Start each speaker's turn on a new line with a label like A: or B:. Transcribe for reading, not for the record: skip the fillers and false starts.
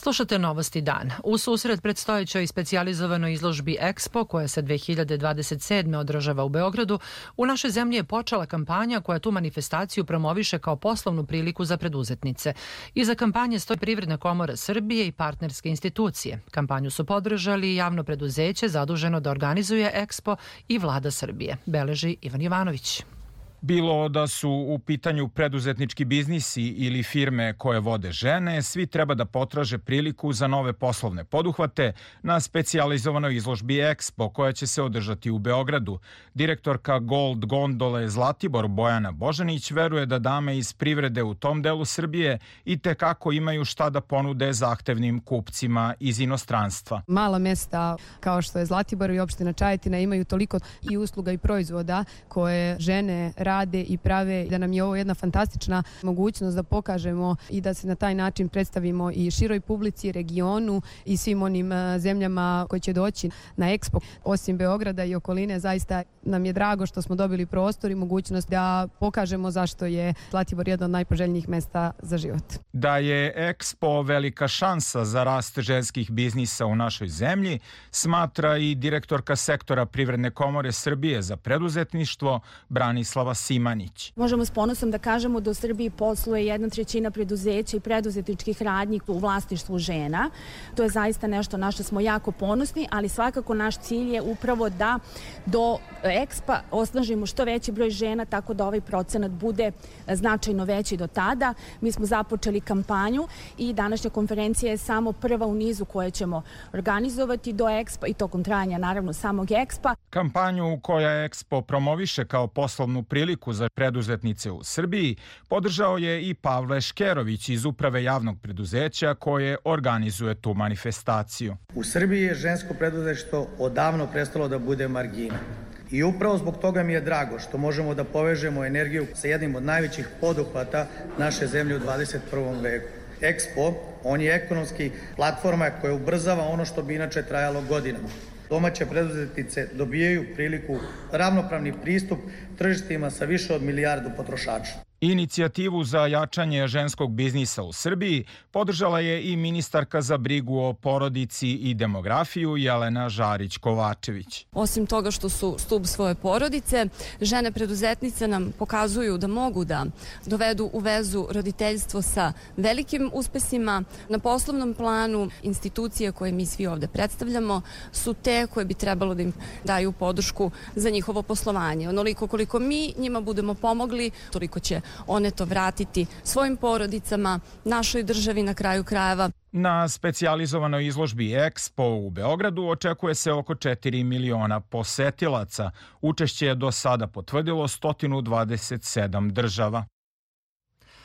A: Slušate Novosti dan. U susret predstojećoj specijalizovanoj izložbi Expo, koja se 2027. održava u Beogradu, u našoj zemlji je počela kampanja koja tu manifestaciju promoviše kao poslovnu priliku za preduzetnice. Iza kampanje stoji Privredna komora Srbije i partnerske institucije. Kampanju su podržali javno preduzeće zaduženo da organizuje Expo i Vlada Srbije, beleži Ivan Jovanović.
B: Bilo da su u pitanju preduzetnički biznisi ili firme koje vode žene, svi treba da potraže priliku za nove poslovne poduhvate na specijalizovanoj izložbi Expo koja će se održati u Beogradu. Direktorka Gold Gondole Zlatibor Bojana Božanić veruje da dame iz privrede u tom delu Srbije i tekako imaju šta da ponude zahtevnim kupcima iz inostranstva.
C: Mala mesta kao što je Zlatibor i opština Čajetina imaju toliko i usluga i proizvoda koje žene rade i prave, da nam je ovo jedna fantastična mogućnost da pokažemo i da se na taj način predstavimo i široj publici, regionu i svim onim zemljama koji će doći na Expo. Osim Beograda i okoline, zaista nam je drago što smo dobili prostor i mogućnost da pokažemo zašto je Zlatibor jedno od najpoželjnijih mesta za život.
B: Da je Expo velika šansa za rast ženskih biznisa u našoj zemlji, smatra i direktorka sektora Privredne komore Srbije za preduzetništvo Branislava Simanić.
D: Možemo s ponosom da kažemo da u Srbiji posluje 1/3 preduzeća i preduzetničkih radnji u vlasništvu žena. To je zaista nešto na što smo jako ponosni, ali svakako naš cilj je upravo da do Expa osnažimo što veći broj žena, tako da ovaj procenat bude značajno veći do tada. Mi smo započeli kampanju i današnja konferencija je samo prva u nizu koje ćemo organizovati do Expa i tokom trajanja naravno samog Expa.
B: Kampanju koja Expo promoviše kao poslovnu priliku za preduzetnice u Srbiji podržao je i Pavle Škerović iz Uprave javnog preduzeća koje organizuje tu manifestaciju.
E: U Srbiji je žensko preduzetništvo odavno prestalo da bude margina. I upravo zbog toga mi je drago što možemo da povežemo energiju sa jednim od najvećih poduhvata naše zemlje u 21. veku. Expo, on je ekonomski platforma koja ubrzava ono što bi inače trajalo godinama. Domaće preduzetnice dobijaju priliku ravnopravni pristup tržištima sa više od milijardu potrošača.
B: Inicijativu za jačanje ženskog biznisa u Srbiji podržala je i ministarka za brigu o porodici i demografiju Jelena Žarić-Kovačević.
F: Osim toga što su stub svoje porodice, žene preduzetnice nam pokazuju da mogu da dovedu u vezu roditeljstvo sa velikim uspesima. Na poslovnom planu institucije koje mi svi ovde predstavljamo su te koje bi trebalo da im daju podršku za njihovo poslovanje. Onoliko koliko mi njima budemo pomogli, toliko će one to vratiti svojim porodicama, našoj državi na kraju krajeva.
B: Na specijalizovanoj izložbi Expo u Beogradu očekuje se oko 4 miliona posetilaca. Učešće je do sada potvrdilo 127 država.